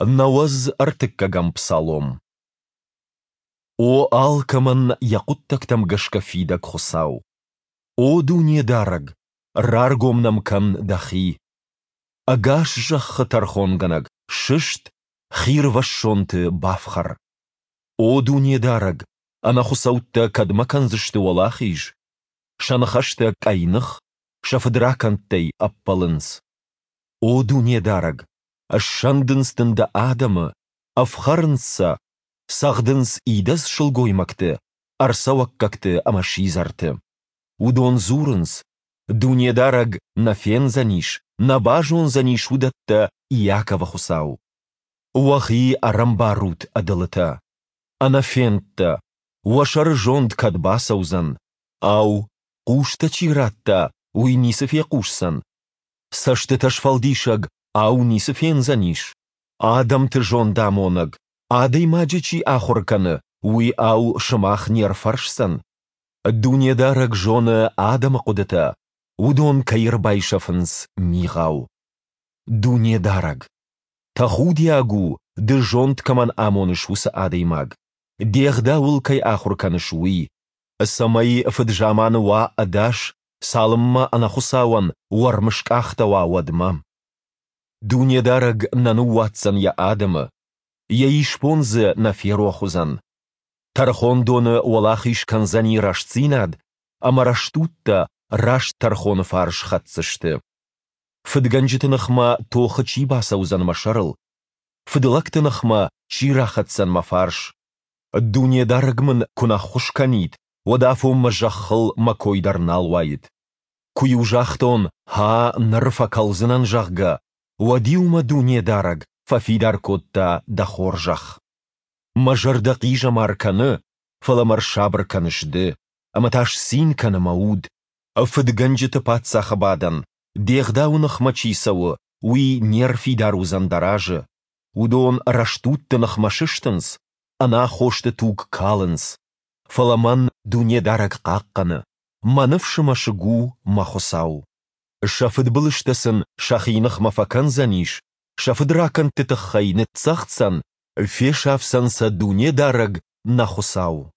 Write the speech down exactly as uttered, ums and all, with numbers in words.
Нӕуӕдз ӕртыккӕгӕм псалом. О алкӕмӕн йӕ хъуыддӕгтӕм гӕсгӕ фидӕг Хуыцау! О Дунедарӕг, раргом нӕм кӕн Дӕхи! Ӕгас зӕххы тӕрхонгӕнӕг, сыст, хирвӕссонты бафхӕр! О Дунедарӕг, ӕнӕхуыцӕуттӕ кӕдмӕ кӕндзысты уӕлахиз? Сӕ ныхӕстӕ къӕйных, сӕ фыдракӕндтӕй ӕппӕлынц. О Дунедарӕг, ссӕндынц дын дӕ адӕмы, ӕфхӕрынц сӕ, цӕгъдынц идӕдз сылгоймӕгты, ӕрцӕуӕггӕгты ӕмӕ сидзӕрты. Уыдон дзурынц: Дунедарӕг нӕ фендзӕнис, нӕ базондзӕнис уыдӕттӕ Иаковы Хуыцау. Уӕхи ӕрӕмбарут, ӕдылытӕ! Ӕнӕфендтӕ! Уӕ сӕры зонд кӕд бацӕудзӕн? Ау, хъустӕ чи радта, уый ницы фехъусдзӕн? Цӕстытӕ сфӕлдисӕг, ау, ницы фендзӕнис? Адӕмты зондамонӕг, адӕймаджы чи ахуыр кӕны, уый, ау, сымах не рфӕрсдзӕн? Дунедарӕг зоны адӕмы хъуыдытӕ, уыдон кӕй ӕрбайсӕфынц мигъау. Дунедарӕг! Тӕхудиаг у, Ды зонд кӕмӕн амоныс, уыцы адӕймаг, Де Гъдауыл кӕй ахуыр кӕныс, уый, цӕмӕй фыд-заманы уа ӕдас, цалынмӕ ӕнӕхуыцауӕн уӕрм скъахтӕуа, уӕдмӕ. Дунедарӕг нӕ ныууадздзӕн Йӕ адӕмы, Йӕ исбон дзы нӕ ферох уыдзӕн. Тӕрхондоны уӕлахиз кӕндзӕни рӕстдзинад, ӕмӕ рӕстудтӕ раст тӕрхоны фарс хӕцдзысты. Фыдгӕнджыты ныхмӕ тохы чи бацӕудзӕн мӕ сӕрыл? Фыдлӕгты ныхмӕ чи рахӕцдзӕн мӕ фарс? Дунедарӕг мын куы нӕ ххуыс кӕнид, уӕд афонмӕ зӕххыл мӕ кой дӕр нал уаид. Куы-иу загътон, «Гьа, ныр фӕкӕлдзынӕн», зӕгъгӕ, уӕд-иу мӕ Дунедарӕг фӕфидар кодта Дӕ хорзӕх. Мӕ зӕрдӕ хъизӕмар кӕны, фӕлӕ мӕ рсабыр кӕныс Ды, ӕмӕ та сцин кӕны мӕ уд. Фыдгӕнджыты паддзахы бадӕн, Де Гъдауы ныхмӕ чи цӕуы, уый не рфидар уыдзӕн Дӕ разы. Уыдон рӕстудты ныхмӕ сыстынц, ӕнаххосты туг калынц. Фӕлӕ мӕн Дунедарӕг хъахъхъӕны, мӕ ныфсы мӕсыг у мӕ Хуыцау. Сӕ фыдбылызтӕ сын сӕхи ныхмӕ фӕкӕндзӕнис, сӕ фыдракӕндты тыххӕй ныццӕгъддзӕн, фесафдзӕн сӕ Дунедарӕг, нӕ Хуыцау.